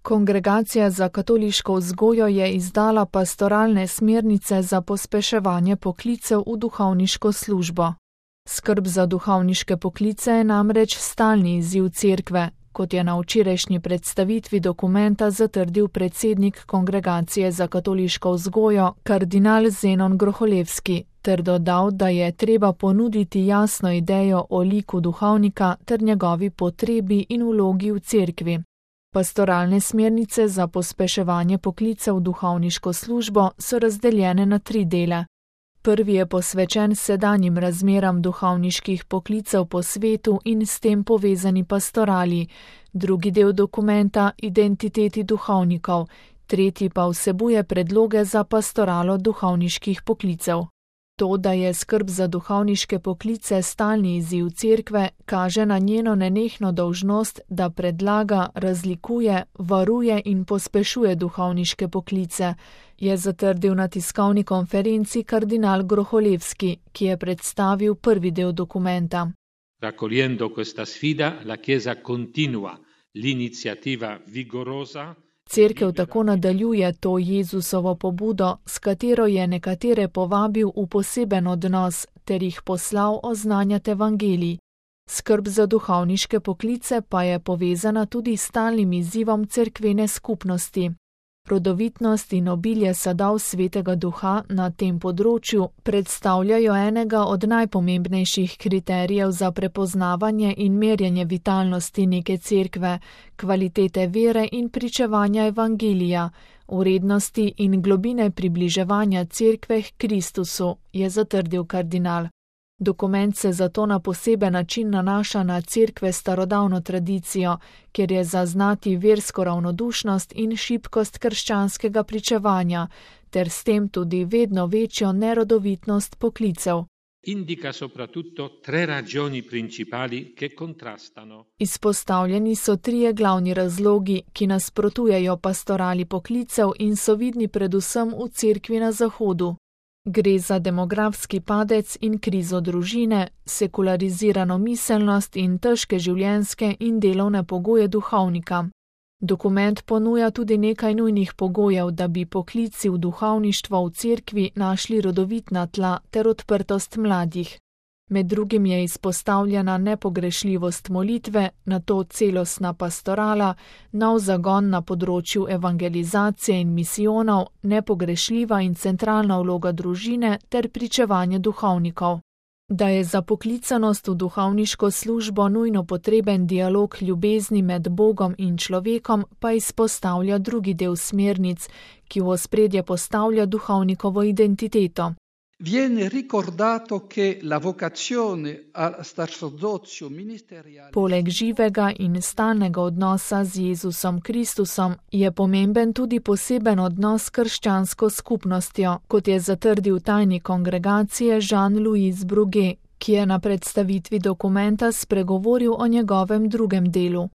Kongregacija za katoliško vzgojo je izdala pastoralne smernice za pospeševanje poklicev v duhovniško službo. Skrb za duhovniške poklice je namreč stalni izziv cerkve, kot je na včerajšnji predstavitvi dokumenta zatrdil predsednik Kongregacije za katoliško vzgojo, kardinal Zenon Groholevski, ter dodal, da je treba ponuditi jasno idejo o liku duhovnika ter njegovi potrebi in vlogi v cerkvi. Pastoralne smernice za pospeševanje poklicev v duhovniško službo so razdeljene na 3 dele. Prvi je posvečen sedanjim razmeram duhovniških poklicev po svetu in s tem povezani pastorali, drugi del dokumenta identiteti duhovnikov, tretji pa vsebuje predloge za pastoralo duhovniških poklicev. To, da je skrb za duhovniške poklice stalni izziv cerkve, kaže na njeno nenehno dolžnost, da predlaga, razlikuje, varuje in pospešuje duhovniške poklice, je zatrdil na tiskovni konferenci kardinal Groholevski, ki je predstavil prvi del dokumenta. Raccogliendo questa sfida, la Chiesa continua l'iniziativa vigorosa. Cerkev tako nadaljuje to Jezusovo pobudo, s katero je nekatere povabil v poseben odnos ter jih poslal oznanjati evangelij. Skrb za duhovniške poklice pa je povezana tudi s stalnim izzivom cerkvene skupnosti. Rodovitnost in obilje sadov Svetega Duha na tem področju predstavljajo enega od najpomembnejših kriterijev za prepoznavanje in merjenje vitalnosti neke cerkve, kvalitete vere in pričevanja evangelija, vrednosti in globine približevanja cerkve k Kristusu, je zatrdil kardinal. Dokument se zato na poseben način nanaša na cerkve starodavno tradicijo, kjer je zaznati versko ravnodušnost in šibkost krščanskega pričevanja, ter s tem tudi vedno večjo nerodovitnost poklicev. Indica soprattutto 3 ragioni principali che contrastano. Izpostavljeni so 3 glavni razlogi, ki nasprotujejo pastorali poklicev in so vidni predvsem v cerkvi na Zahodu. Gre za demografski padec in krizo družine, sekularizirano miselnost in težke življenjske in delovne pogoje duhovnika. Dokument ponuja tudi nekaj nujnih pogojev, da bi poklici v duhovništvo v cerkvi našli rodovitna tla ter odprtost mladih. Med drugim je izpostavljena nepogrešljivost molitve, nato celostna pastorala, nov zagon na področju evangelizacije in misijonov, nepogrešljiva in centralna vloga družine ter pričevanje duhovnikov. Da je za poklicanost v duhovniško službo nujno potreben dialog ljubezni med Bogom in človekom, pa izpostavlja drugi del smernic, ki v ospredje postavlja duhovnikovo identiteto. Viene ricordato che la vocazione al sacerdozio ministeriale. Poleg živega in stalnega odnosa z Jezusom Kristusom je pomemben tudi poseben odnos s krščansko skupnostjo, kot je zatrdil tajnik kongregacije Jean-Louis Bruguet, ki je na predstavitvi dokumenta spregovoril o njegovem drugem delu.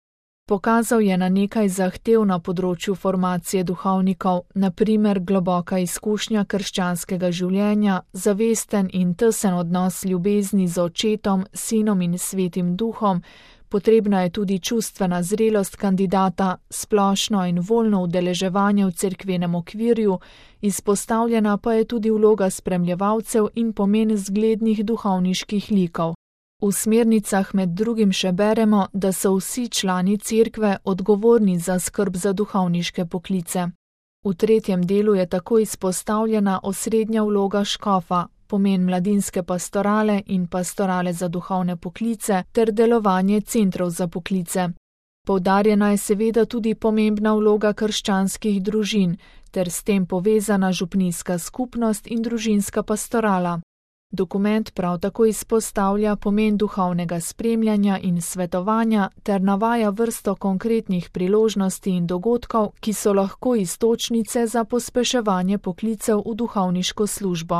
Pokazal je na nekaj zahtev na področju formacije duhovnikov, na primer globoka izkušnja krščanskega življenja, zavesten in tesen odnos ljubezni z očetom, sinom in svetim duhom, potrebna je tudi čustvena zrelost kandidata, splošno in voljno udeleževanje v cerkvenem okvirju, izpostavljena pa je tudi vloga spremljevalcev in pomen zglednih duhovniških likov. V smernicah med drugim še beremo, da so vsi člani cerkve odgovorni za skrb za duhovniške poklice. V tretjem delu je tako izpostavljena osrednja vloga škofa, pomen mladinske pastorale in pastorale za duhovne poklice ter delovanje centrov za poklice. Poudarjena je seveda tudi pomembna vloga krščanskih družin ter s tem povezana župnijska skupnost in družinska pastorala. Dokument prav tako izpostavlja pomen duhovnega spremljanja in svetovanja ter navaja vrsto konkretnih priložnosti in dogodkov, ki so lahko iztočnice za pospeševanje poklicev v duhovniško službo.